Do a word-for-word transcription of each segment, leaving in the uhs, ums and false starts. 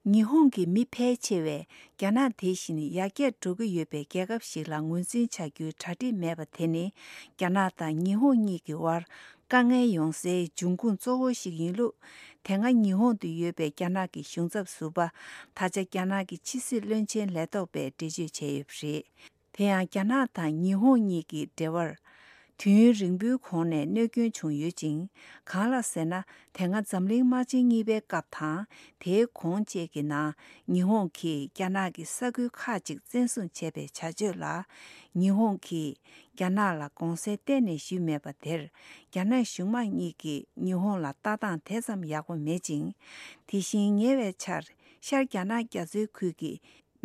ཉི་ཧོང་གི་མི་ཕལ་ཆེ་བས་རྒྱ་ནག་དེ་བཞིན་ཡར་རྒྱས་འགྲོ་གི་ཡོད་པའི་རྒྱལ་ཁབ་ཞིག་ལ་ངོས་འཛིན་བྱ་རྒྱུའི་གྲ་སྒྲིག་མེད་པ་དེ་ནི། རྒྱ་ནག་དང་ཉི་ཧོང་གཉིས་ཀྱི་དབར་དཀའ་ངལ་ཡོང་སའི་འབྱུང་ཁུངས་གཙོ་བོ་ཞིག་ཡིན་ལུགས། དེ་སྔ་ཉི་ཧོང་དུ་ཡོད་པའི་རྒྱ་ནག་གི་གཞུང་ཚབ་ཟུར་པ། ད་ཆ་རྒྱ་ནག་གི་ཕྱི་སྲིད་བློན་ཆེན་ལས་ཐོག་པས་འགྲེལ་བརྗོད་བྱས་ཡོད་པ་རེད། དེ་ཡང་རྒྱ་ནག་དང་ཉི་ཧོང་གཉིས་ཀྱི་འབྲེལ་བར་དུས་ཡུན་རིང་པོའི་གོང་ནས་གནོད་སྐྱོན་བྱུང་ཡོད་ཅིང་། གང་ལགས་ཟེར་ན། དེ་སྔ་འཛམ་གླིང་དམག་ཆེན་གཉིས་པའི་སྐབས་དང་། དེའི་གོང་བཅས་ཀྱི་ནང་ཉི་ཧོང་གིས་རྒྱ་ནག་གི་ས་ཁུལ་ཁག་ཅིག་བཙན་བཟུང་བྱས་པའི་བྱ་སྤྱོད་ལ། ཉི་ཧོང་གིས་རྒྱ་ནག་ལ་དགོངས་སེལ་གཏན་ནས་ཞུས་མེད་པ་དེར། རྒྱ་ནག་གཞུང་དམངས་གཉིས་ཀྱིས་ཉི་ཧོང་ལ་ལྟ་སྟངས་དེ་ཙམ་ཡག་པོ་མེད་ཅིང་། དེ་བཞིན་ཉེ་བའི་ཆར་ཤར་རྒྱ་ནག་རྒྱ་མཚོའི་ཁུལ་གྱི་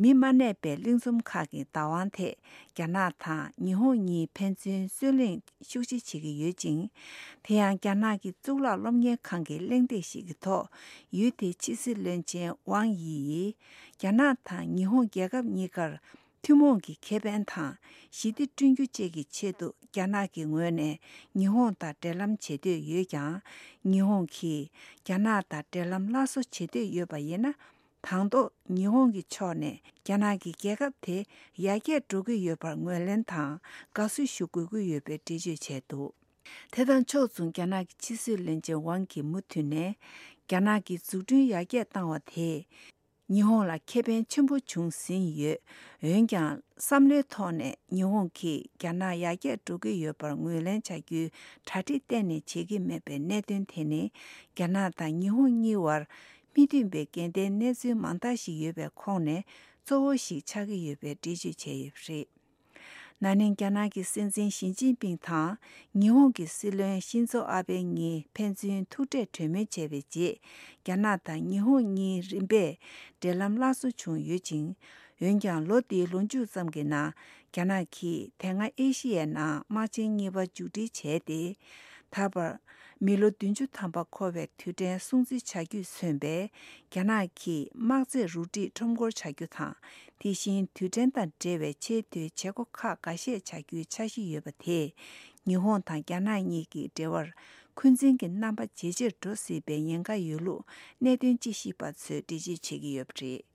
མི་མ་གནས་པའི་གླིང་ཚོམ་ཁག་གི་བདག་དབང་ཐད་རྒྱ་ནག་དང་ཉི་ཧོང་གཉིས་ཕན་ཚུན་རྩོད་གླེང་ཤུགས་ཆེ་བྱེད་ཀྱི་ཡོད་ཅིང་། དེ་ཡང་རྒྱ་ནག་གི་གཙུག་ལག་སློབ་གཉེར་ཁང་གི་གླེང་སྟེགས་ཤིག་གི་ཐོག་ཡུལ་དེའི་ཕྱི་སྲིད་བློན་ཆེན་ཝང་དབྱི་ཡིས། རྒྱ་ནག་དང་ཉི་ཧོང་རྒྱལ་ཁབ་གཉིས་ཀར་ཐུན་མོང་གི་ཁེ་ཕན་དང་ཞི་བདེ་བསྐྲུན་རྒྱུ་བཅས་ཀྱི་ཆེད་དུ། རྒྱ་ནག་གི་ངོས་ནས་ཉི་ཧོང་དང་འབྲེལ་ལམ་བྱེད་འདོད་ཡོད་ཀྱང་། ཉི་ཧོང་གིས་རྒྱ་ནག་དང་འབྲེལ་ལམ་སླར་གསོ་བྱེད་འདོད་ཡོད་པ་ཡིན་ན། དང་ཐོག་ཉི་ཧོང་གི་ཕྱོགས་ནས་རྒྱ་ནག་གི་རྒྱལ་ཁབ་དེ་ཡར་རྒྱས་འགྲོ་གི་ཡོད་པར་ངོས་ལེན་དང་དགའ་བསུ་ཞུ་དགོས་ཀྱི་ཡོད་པའི་འགྲེལ་བརྗོད་བྱས་འདུག་དེ་དང་ཕྱོགས་མཚུངས། རྒྱ་ནག་གི་ཕྱི་སྲིད་བློན་ཆེན་ཝང་གིས་མུ་མཐུད་ནས། རྒྱ་ནག་གི་འཛུགས་སྐྲུན་ཡར་རྒྱས་བཏང་བ་དེས་ཉི་ཧོང་ལ་ཁེ་ཕན་ཆེན་པོ་བྱུང་ཟིན་ཡོད། འོན་ཀྱང་། བསམ་བློའི་ཐོག་ནས་ཉི་ཧོང་གིས་རྒྱ་ནག་ཡར་རྒྱས་འགྲོ་གི་ཡོད་པར་ངོས་ལེན་བྱ་རྒྱུའི་གྲ་སྒྲིག་གཏན་ནས་བྱེད་ཀྱི་མེད་པའི་གནད་དོན་དེ་ནི། རྒྱ་ནག་དང་ཉི་ཧོང་གཉིས་བར་མི་མཐུན་པའི་འགལ་ཟླའི་གནས་ཚུལ་མང་དག་ཞིག་ཡོད་པའི་ཁོངས་ནས་གཙོ་བོ་ཞིག་ཆགས་ཀྱི་ཡོད་པའི་འགྲེལ་བརྗོད་བྱས་ཡོད་པ་རེད། ན་ནིང་རྒྱ་ནག་གི་སྲིད་འཛིན་ཞི་ཅིན་ཕིང་དང་ཉི་ཧོང་གི་སྲིད་བློན་ཤིན་ཛོ་ཨ་བྷེ་གཉིས་ཕན་ཚུན་ཐུག་འཕྲད་གྲོས་མོལ་བྱས་པའི་རྗེས། རྒྱ་ནག་དང་ཉི་ཧོང་གཉིས་རིམ་པས་འབྲེལ་ལམ་སླར་གསོ་བྱུང་ཡོད་ཅིང་། འོན་ཀྱང་། ལོ་འདིའི་ལོ་མཇུག་ཙམ་གྱི་ནང་རྒྱ་ནག་གིས་དེ་སྔ་ཨེ་ཤི་ཡའི་ནང་དམག་ཆེན་གཉིས་པ་མཇུག་སྒྲིལ་བྱས་ཏེ། ད་བར་མི་ལོ་བདུན་ཅུ་ཐམ་པ་འཁོར་བའི་དུས་དྲན་སྲུང་བརྩི་བྱ་རྒྱུས་མཚོན་པའི་རྒྱ་ནག་གི་དམག་རྫས་རུ་སྒྲིག་ཁྲོམ་སྐོར་བྱ་རྒྱུ་དང་། དེ་བཞིན་དུས་དྲན་དང་འབྲེལ་བའི་ཆེས་མཐོའི་བྱེད་སྒོ་ཁག་འགའ་ཤས་བྱ་རྒྱུའི་འཆར་གཞི་ཡོད་པ་དེས། ཉི་ཧོང་དང་རྒྱ་ནག་གཉིས་ཀྱི་འབྲེལ་བར་འཁོན་འཛིན་གྱི་རྣམ་པ་ཇེ་ཆེར་འགྲོ་སྲིད་པའི་ཉེན་ཁ་ཡོད་ལུགས་གནད་དོན་དཔྱད་ཞིབ་པ་ཚོས་འགྲེལ་བརྗོད་བྱེད་ཀྱི་ཡོད་པ་རེད།